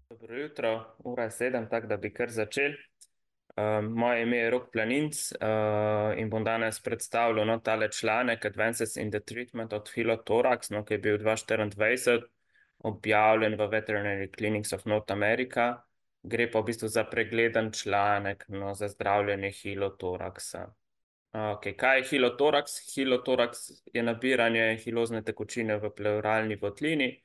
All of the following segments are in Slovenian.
Dobro jutro, ura je 7, tako da bi kar začeli. Moje ime je Rok Planinc, in bom danes predstavljal tale članek Advances in the Treatment of Phyllotorax, ki je bil 2024 objavljen v Veterinary Clinics of North America. Gre pa v bistvu za pregleden članek za zdravljenje hilotoraksa. Okay. Kaj je hilotoraks? Hilotoraks je nabiranje hilozne tekočine v pleuralni votlini.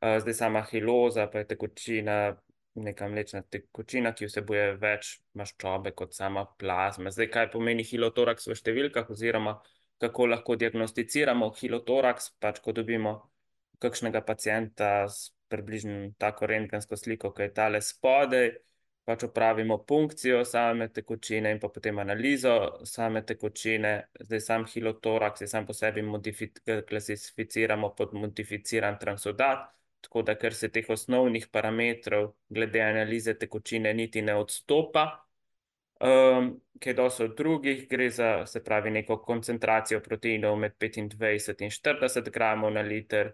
Zdaj sama hiloza pa je tekočina, neka mlečna tekočina, ki vsebuje več maščobe kot sama plazma. Zdaj, kaj pomeni hilotoraks v številkah oziroma kako lahko diagnosticiramo hilotoraks, pač ko dobimo kakšnega pacienta s približno tako rentgensko sliko, ki je tale spodaj, pač opravimo punkcijo same tekočine in pa potem analizo same tekočine. Zdaj sam hilotoraks je sam po sebi klasificiramo pod modificiran transudat, tako da ker se teh osnovnih parametrov glede analize tekočine niti ne odstopa, kaj dosti od drugih, gre za, se pravi, neko koncentracijo proteinov med 25 in 40 gramov na liter.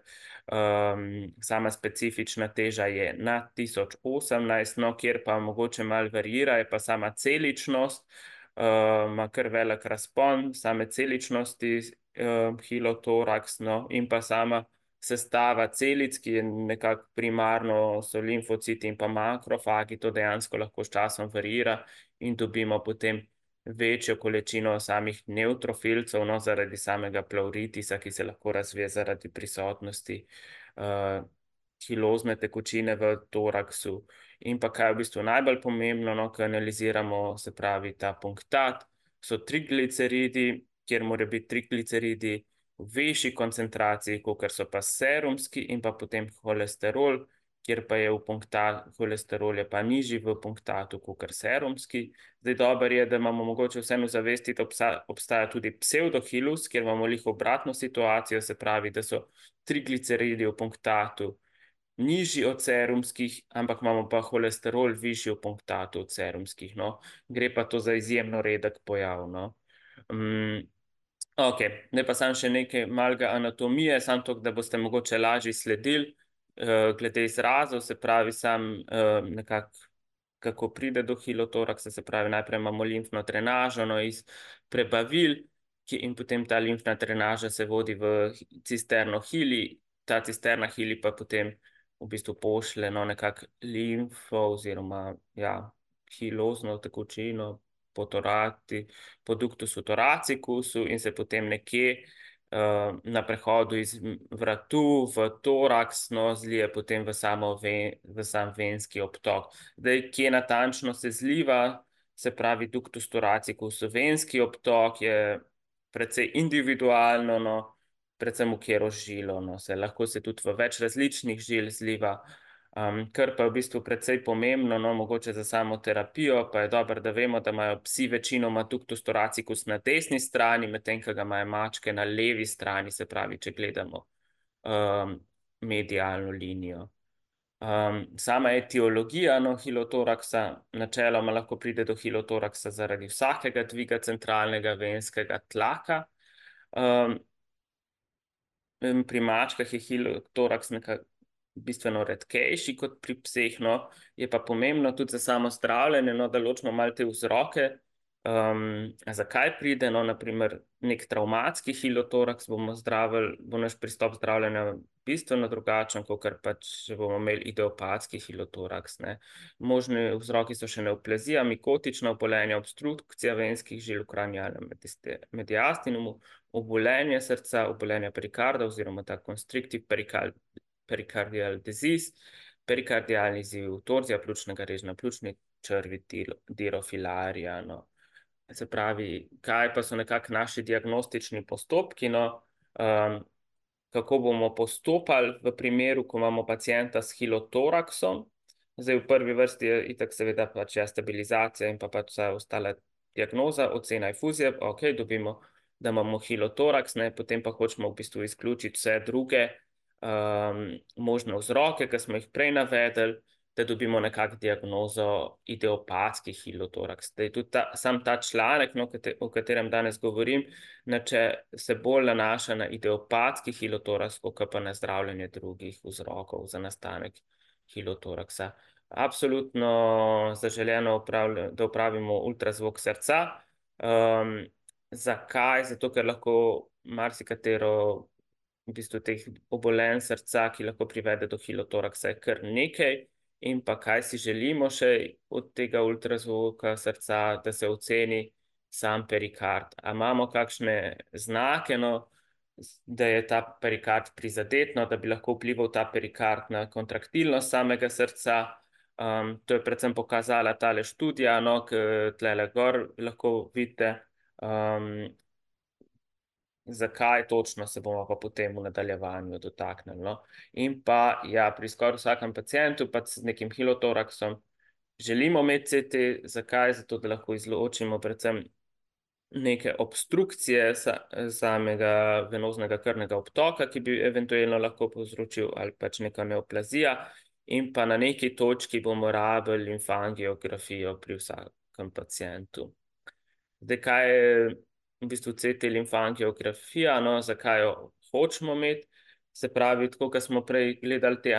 Sama specifična teža je na 1018, no, kjer pa mogoče malo varira, je pa sama celičnost. Ima kar velik razpon same celičnosti hilotoraks, no, in pa sama sestava celic, ki je nekako primarno so limfociti in pa makrofagi, to dejansko lahko s časom varira in dobimo potem večjo količino samih nevtrofilcev, no, zaradi samega pleuritisa, ki se lahko razvije zaradi prisotnosti hilozne tekočine v toraksu. In pa kaj je v bistvu najbolj pomembno, no, ko analiziramo, se pravi, ta punktat, so trigliceridi, kjer morajo biti trigliceridi v višji koncentraciji, kakor so pa serumski, in pa potem holesterol, kjer pa je holesterol je pa nižji v punktatu kakor serumski. Zdaj, dobro je, da imamo mogoče vseeno zavesti, da obstaja tudi psevdohilus, kjer imamo lih obratno situacijo, se pravi, da so trigliceridi v punktatu nižji od serumskih, ampak imamo pa holesterol višji v punktatu od serumskih, no. Gre pa to za izjemno redek pojav, no. Ok, zdaj pa samo še nekaj malega anatomije, samo to, da boste mogoče lažje sledili glede izrazov, se pravi sam nekako, kako pride do hilotoraksa, se pravi najprej imamo limfno drenažo, no, iz prebavil, in potem ta limfna drenaža se vodi v cisterno hili, ta cisterna hili pa potem v bistvu pošlje, no, nekako limfo oziroma, ja, hilozno tekočino po ductusu thoracicusu in se potem nekje na prehodu iz vratu v toraks, no, zlije potem v sam venski obtok. Zdaj, kje natančno se zliva, se pravi ductus thoracicus v venski obtok, je precej individualno, no, predvsem v katero žilo, no, lahko se tudi v več različnih žil zliva. Kar pa je v bistvu precej pomembno, no, mogoče za samo terapijo, pa je dobro, da vemo, da imajo psi večinoma ductus thoracicus na desni strani, medtem ko ga imajo mačke na levi strani, se pravi, če gledamo medialno linijo. Sama etiologija, no, hilotoraksa, načeloma lahko pride do hilotoraksa zaradi vsakega dviga centralnega venskega tlaka. Pri mačkah je hilotoraks nekako bistveno redkejši kot pri pseh, no. Je pa pomembno tudi za samo zdravljenje, no, da ločimo malo te vzroke, zakaj pride, no, naprimer nek travmatski hilotoraks bomo zdravili, bo naš pristop zdravljenja bistveno drugačen, kakor pač, če bomo imeli idiopatski hilotoraks, ne. Možni vzroki so še neoplazija, mikotična obolenja, obstrukcija venskih žil v kranialnem mediastinumu, obolenje srca, obolenje perikarda oziroma ta constrictive pericardial disease, perikardialni izziv, torzija pljučnega režnja, pljučni črvi, dirofilarija, no. Se pravi, kaj pa so nekako naši diagnostični postopki, no, kako bomo postopali v primeru, ko imamo pacienta s hilotoraksom. Zdaj, v prvi vrsti je itak seveda pač stabilizacija in pa pač vsa ostala diagnoza, ocena infuzije, ok, dobimo, da imamo hilotoraks, ne, potem pa hočemo v bistvu izključiti vse druge možne vzroke, ki smo jih prej navedli, da dobimo nekako diagnozo idiopatski hilotoraks. Zdaj, tudi sam ta članek, no, o katerem danes govorim, se bolj nanaša na idiopatski hilotoraks, kot pa na zdravljenje drugih vzrokov za nastanek hilotoraksa. absolutno zaželeno, da opravimo ultrazvok srca. Um, Zakaj? Zato, ker lahko marsikatero v bistvu teh obolenj srca, ki lahko privede do hilotoraksa, je kar nekaj. In pa kaj si želimo še od tega ultrazvoka srca, da se oceni sam perikard. A imamo kakšne znake, no, da je ta perikard prizadet, no, da bi lahko vplival ta perikard na kontraktilnost samega srca. To je predvsem pokazala tale študija, no, ki tlele gor lahko vidite. Zakaj točno se bomo pa potem v nadaljevanju dotaknili. No? In pa ja, pri skoraj vsakem pacientu pa s nekim hilotoraksom želimo imeti CT. Zakaj? Zato, da lahko izločimo predvsem neke obstrukcije samega venoznega krvnega obtoka, ki bi eventualno lahko povzročil, ali pač neka neoplazija. In pa na neki točki bomo rabili limfangiografijo pri vsakem pacientu. Zdaj, kaj je v bistvu CT limfangiografija, no, zakaj jo hočemo imeti? Se pravi, tako kot smo prej gledali te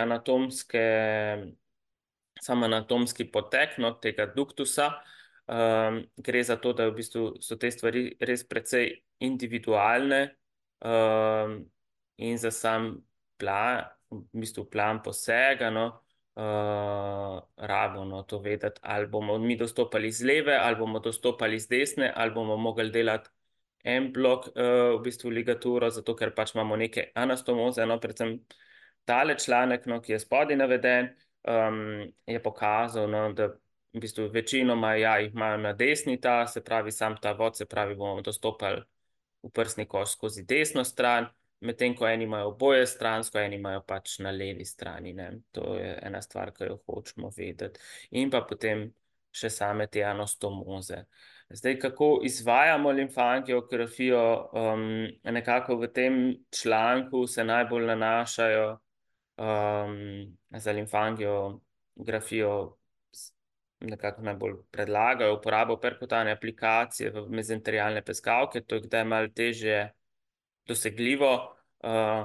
sam anatomski potek, no, tega duktusa, gre za to, da v bistvu so te stvari res precej individualne, in za sam plan, v bistvu plan posega, no, rabimo, no, to vedeti, ali bomo mi dostopali z leve, ali bomo dostopali z desne, ali bomo mogli delati en blok, v bistvu ligaturo, zato ker pač imamo neke anastomoze, no, predvsem tale članek, no, ki je spodaj naveden, je pokazal, no, da v bistvu večinoma ja, jih imajo na desni ta, se pravi sam ta vod, se pravi bomo dostopali v prsni koš skozi desno stran, medtem ko eni imajo oboje stransko, eni imajo pač na levi strani. Ne. To je ena stvar, ki jo hočemo vedeti. In pa potem še same te anastomoze. Zdaj, kako izvajamo limfangiografijo, nekako v tem članku se najbolj nanašajo za limfangiografijo, nekako najbolj predlagajo uporabo perkutane aplikacije v mezenterialne peskavke. To je kdaj malo težje dosegljivo,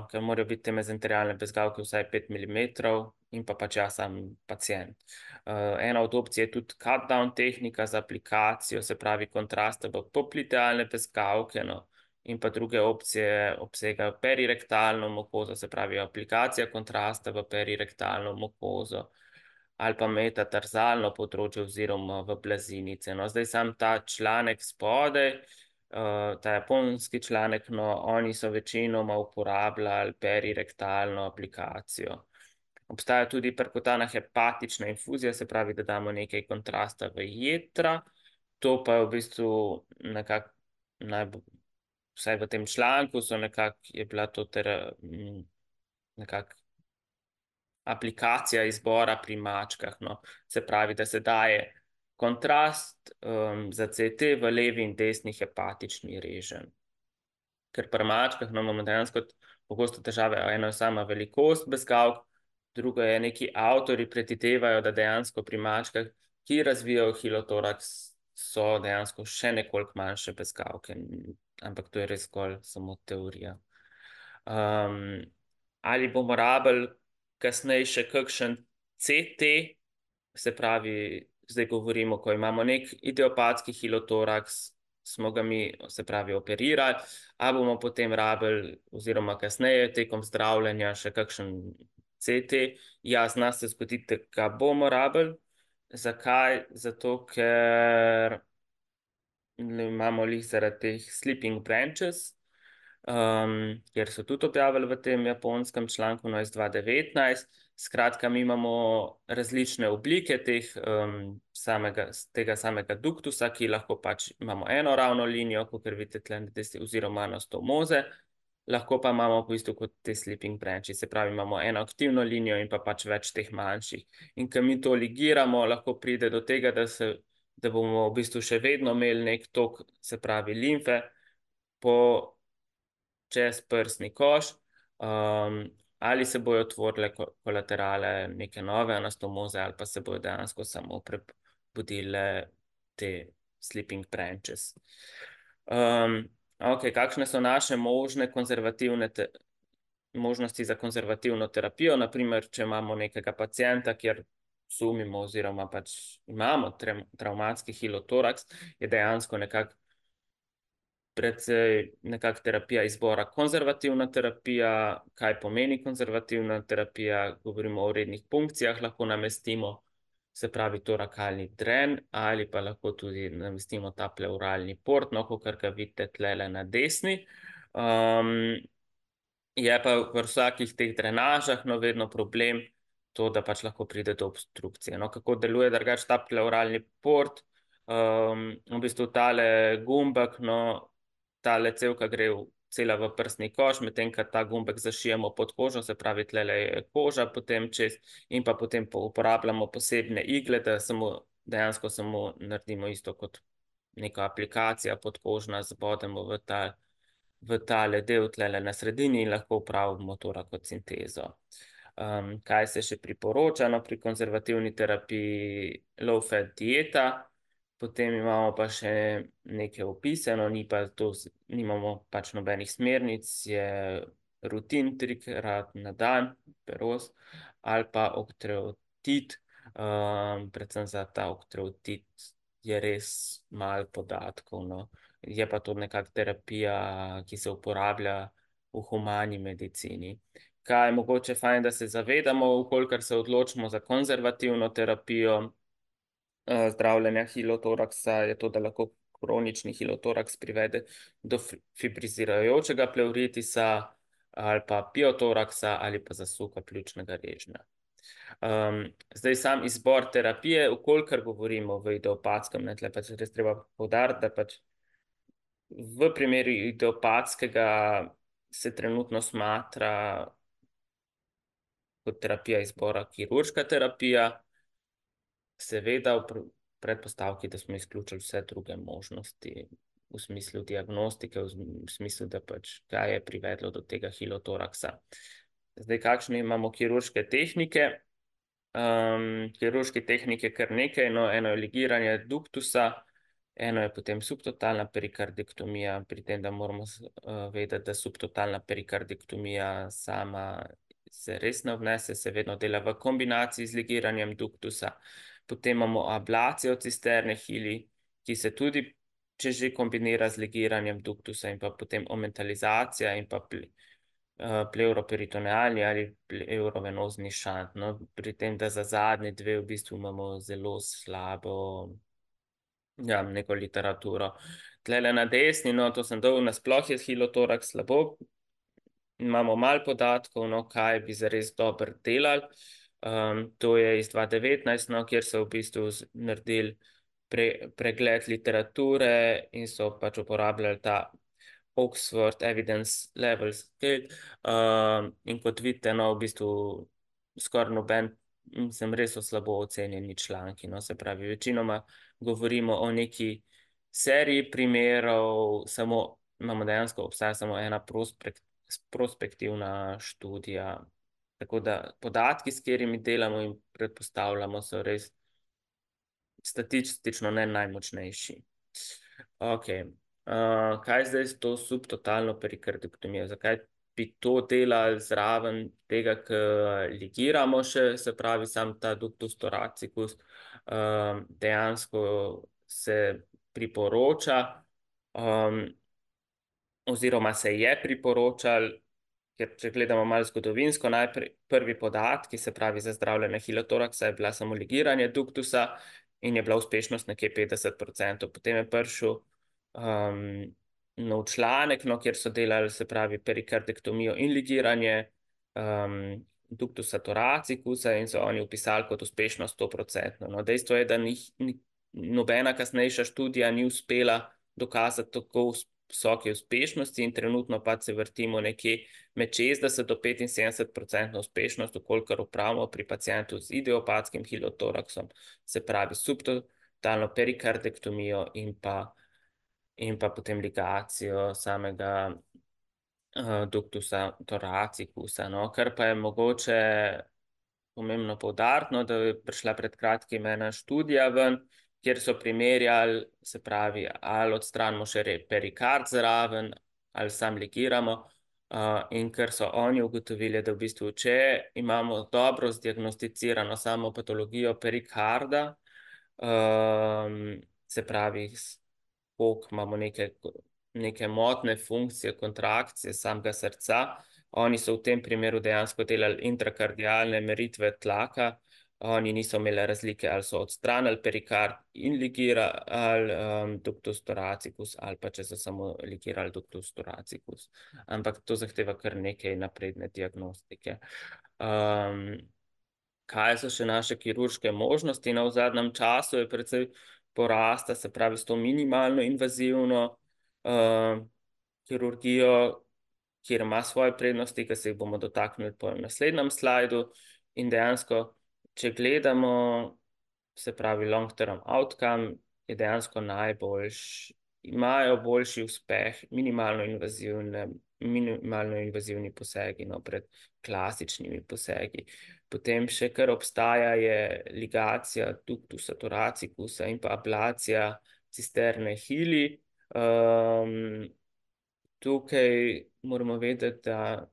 ker morajo biti te mezenterialne peskavke vsaj 5 mm in pa pač ja, sam pacient. Ena od opcij je tudi cut-down tehnika za aplikacijo, se pravi kontraste v poplitealne peskavke, no, in pa druge opcije obsegajo perirektalno mukozo, se pravi aplikacija kontrasta v perirektalno mukozo, ali pa metatarzalno področje oziroma v blazinice. No, zdaj sam ta članek spodaj, ta japonski članek, no, oni so večinoma uporabljali perirektalno aplikacijo. Obstaja tudi perkutana hepatična infuzija, se pravi, da damo nekaj kontrasta v jetra. To pa je v bistvu nekako vsaj v tem članku je bila to nekako aplikacija izbora pri mačkah. No. Se pravi, da se daje kontrast za CT v levi in desni hepatični reženj. Ker pri mačkah imamo dejansko pogosto težave, eno je sama velikost bezgavk, drugo je neki avtori predvidevajo, da dejansko pri mačkah, ki razvijajo hilotoraks, so dejansko še nekoliko manjše bezgavke, ampak to je res zgolj samo teorija. Ali bomo rabili kasneje še kakšen CT, se pravi, zdaj govorimo, ko imamo nek idiopatski hilotoraks, smo ga mi, se pravi, operirali, a bomo potem rabili, oziroma kasneje tekom zdravljenja še kakšen CT. Ja, zna se zgoditi, da ga bomo rabili. Zakaj? Zato, ker imamo lih zaradi teh sleeping branches, kjer so tudi objavili v tem japonskem članku, no, iz 2019. Skratka, mi imamo različne oblike tega samega duktusa, ki lahko pač imamo eno ravno linijo, kot vidite tle, oziroma anastomoze, lahko pa imamo v bistvu kot te sleeping branches, se pravi, imamo eno aktivno linijo in pa pač več teh manjših. In ko mi to ligiramo, lahko pride do tega, da bomo v bistvu še vedno imeli nek tok, se pravi, limfe čez prsni koš, ali se bojo otvorile kolaterale neke nove anastomoze, ali pa se bojo dejansko samo prebudile te sleeping branches. Ok, kakšne so naše možnosti za konzervativno terapijo? Naprimer, če imamo nekega pacienta, kjer sumimo oziroma pač imamo travmatski hilotoraks, je dejansko predvsej nekak terapija izbora. Konzervativna terapija, kaj pomeni konzervativna terapija, govorimo o rednih punkcijah, lahko namestimo, se pravi torakalni dren, ali pa lahko tudi namestimo ta pleuralni port, no, kakor ga vidite tlele na desni. Je pa v vsakih teh drenažah vedno problem to, da pač lahko pride do obstrukcije. No, kako deluje drugače ta pleuralni port? V bistvu tale gumbek, no, tale cevka gre cela v prsni koš, medtem ko ta gumbek zašijemo pod kožo, se pravi, tlele je koža potem čez in pa potem uporabljamo posebne igle, da dejansko samo naredimo isto kot neka aplikacija podkožna, zbodemo v tale del tlele na sredini in lahko upravimo torakocintezo. Kaj se še priporoča? No, pri konzervativni terapiji low-fat dieta, potem imamo pa še neke opise, no, nimamo pač nobenih smernic, je rutin 3-krat na dan, peroz, ali pa okteotit, predvsem za ta okteotit je res malo podatkov, no. Je pa to nekak terapija, ki se uporablja v humani medicini. Kaj je mogoče fajn, da se zavedamo, kolikor se odločimo za konzervativno terapijo zdravljenja hilotoraksa, je to, da lahko kronični hilotoraks privede do fibrizirajočega pleuritisa ali pa piotoraksa ali pa zasuka pljučnega režnja. Zdaj sam izbor terapije, kolikor govorimo v idiopatskem, tle pač res treba poudariti, da pač v primeru idiopatskega se trenutno smatra kot terapija izbora kirurška terapija, seveda v predpostavki, da smo izključili vse druge možnosti v smislu diagnostike, v smislu, da pač kaj je privedlo do tega hilotoraksa. Zdaj, kakšne imamo kirurške tehnike? Kirurške tehnike kar nekaj, no, eno je ligiranje duktusa, eno je potem subtotalna perikardektomija, pri tem, da moramo vedeti, da subtotalna perikardektomija sama se res ne obnese, se vedno dela v kombinaciji z ligiranjem duktusa. Potem imamo ablacijo cisterne hili, ki se tudi, če že kombinira z ligiranjem duktusa, in pa potem omentalizacija in pa pleuroperitonealni ali pleurovenozni šant. No, pri tem, da za zadnje dve v bistvu imamo zelo slabo neko literaturo. Tlele na desni, no, to sem dal, nasploh je hilotoraks slabo. Imamo malo podatkov, no, kaj bi zares dobro delali. To je iz 2019, no, kjer so v bistvu naredili pregled literature in so pač uporabljali ta Oxford Evidence Level Scale. In kot vidite, no, v bistvu skoraj noben, sem res slabo ocenjeni članki, no, se pravi, večinoma govorimo o neki seriji primerov, imamo dejansko obstaja samo ena prospektivna študija. Tako da podatki, s katerimi delamo in predpostavljamo, so res statistično ne najmočnejši. Ok, kaj zdaj s to subtotalno perikardektomijo? Zakaj bi to delali zraven tega, ker ligiramo še, se pravi, sam ta ductus thoracicus dejansko se priporoča, oziroma se je priporočal, ker če gledamo malo zgodovinsko, najprej prvi podatki, se pravi za zdravljenje hilotoraksa, je bila samo ligiranje duktusa in je bila uspešnost nekje 50%. Potem je prišel nov članek, no, kjer so delali, se pravi, perikardektomijo in ligiranje duktusa thoracicusa in so oni upisali kot uspešnost 100%. No, dejstvo je, da nobena kasnejša študija ni uspela dokazati tako visoke uspešnosti in trenutno pa se vrtimo nekje med 60 do 75% uspešnost, kolikor upravimo pri pacientu z idiopatskim hilotoraksom, se pravi subtotalno perikardektomijo in pa potem ligacijo samega duktusa thoracicusa, no, kar pa je mogoče pomembno poudariti, no, da je prišla pred kratkim ena študija ven, kjer so primerjali, se pravi, ali odstranimo še perikard zraven, ali sam ligiramo, In ker so oni ugotovili, da v bistvu, če imamo dobro zdiagnosticirano samo patologijo perikarda, se pravi, koliko imamo neke motne funkcije, kontrakcije samega srca, oni so v tem primeru dejansko delali intrakardialne meritve tlaka, oni niso imeli razlike, ali so odstranili perikard in ligirali ductus thoracicus, ali pa če so samo ligirali ductus thoracicus. Ampak to zahteva kar nekaj napredne diagnostike. Kaj so še naše kirurške možnosti? V zadnjem času je precej porasta, se pravi, s to minimalno invazivno kirurgijo, kjer ima svoje prednosti, ki se jih bomo dotaknili po naslednjem slajdu. In dejansko, če gledamo, se pravi long-term outcome, je dejansko imajo boljši uspeh minimalno invazivni posegi pred klasičnimi posegi. Potem še kar obstaja je ligacija ductusa thoracicusa in pa ablacija cisterne hili. Tukaj moramo vedeti, da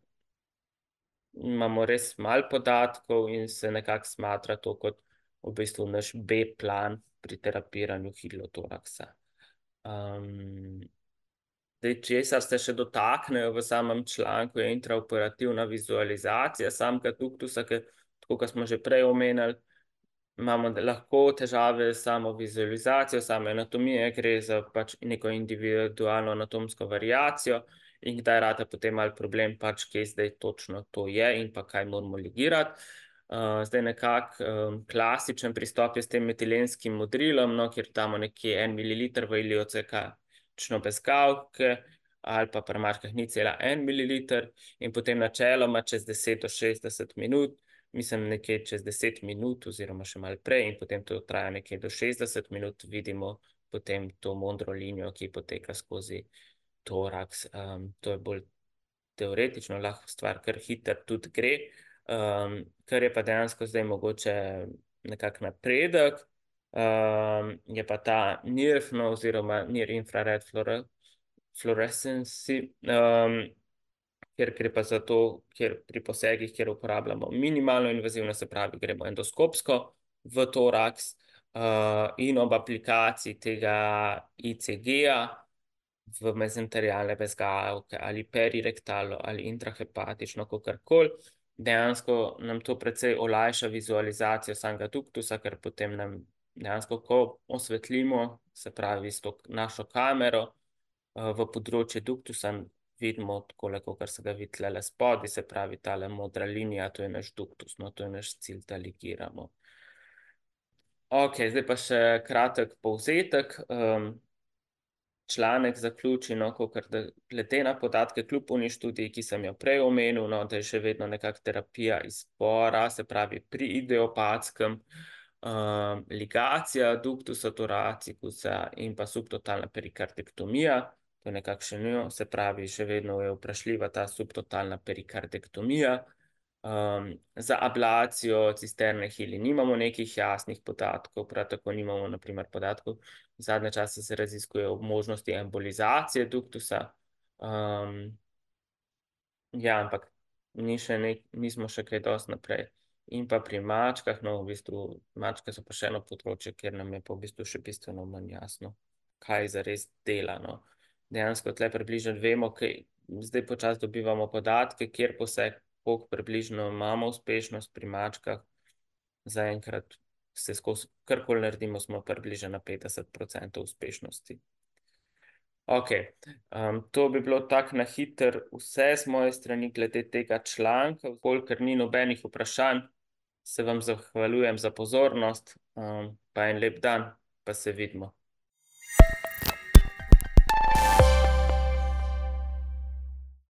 imamo res malo podatkov in se nekako smatra to kot v bistvu naš B-plan pri terapiranju hilotoraksa. Česar se še dotaknejo v samem članku, je intraoperativna vizualizacija samega duktusa, ker, tako kot smo že prej omenili, imamo lahko težave s samo vizualizacijo, same anatomije, gre za pač neko individualno anatomsko variacijo in kdaj rata potem malo problem, pač kje zdaj točno to je in pa kaj moramo ligirati. Zdaj nekako klasičen pristop je s tem metilenskim modrilom, kjer damo nekje 1 ml v iliocekačno bez kavke ali pa pri mačkah 0,1 ml in potem načeloma čez 10 do 60 minut, mislim nekje čez 10 minut oziroma še malo prej in potem to traja nekje do 60 minut, vidimo potem to modro linijo, ki poteka skozi toraks. To je bolj teoretično, lahko stvar kar hiter tudi gre. Kar je pa dejansko zdaj mogoče nekak napredek, je pa ta NIRF oziroma Near Infrared Fluorescency, ker gre pa za to, ker pri posegih, kjer uporabljamo minimalno invazivno, se pravi, gremo endoskopsko v toraks in ob aplikaciji tega ECG-ja v mezenterijalne bezgavke ali perirektalno ali intrahepatično, kakorkoli, dejansko nam to precej olajša vizualizacijo samega duktusa, ker potem nam dejansko, ko osvetlimo, se pravi s to našo kamero v področje duktusa, vidimo takole, kakor se ga vidi tlele spodaj, se pravi tale modra linija, to je naš duktus, to je naš cilj, da ligiramo. Ok, zdaj pa še kratek povzetek. Članek zaključi, kakor da glede na podatke kljub oni študiji, ki sem jo prej omenil, da je še vedno nekak terapija izbora, se pravi pri idiopatskem, ligacija duktusa thoracicusa in pa subtotalna perikardektomija, to je nekakšen, se pravi, še vedno je vprašljiva ta subtotalna perikardektomija. Za ablacijo cisterne hili nimamo nekih jasnih podatkov, prav tako nimamo na primer podatkov, zadnje čase se raziskuje ob možnosti embolizacije duktusa. Ja, ampak nismo še kaj dosti naprej. In pa pri mačkah, v bistvu mačke so pa še eno področje, kjer nam je pa v bistvu še bistveno manj jasno, kaj zares dela. Dejansko tle približno vemo, zdaj počasi dobivamo podatke, kjer poseg, koliko približno imamo uspešnost pri mačkah, zaenkrat se skozi karkoli naredimo, smo približno na 50% uspešnosti. Ok, to bi bilo tako na hiter vse z moje strani glede tega članka. Kolikor ni nobenih vprašanj, se vam zahvaljujem za pozornost, pa en lep dan, pa se vidimo.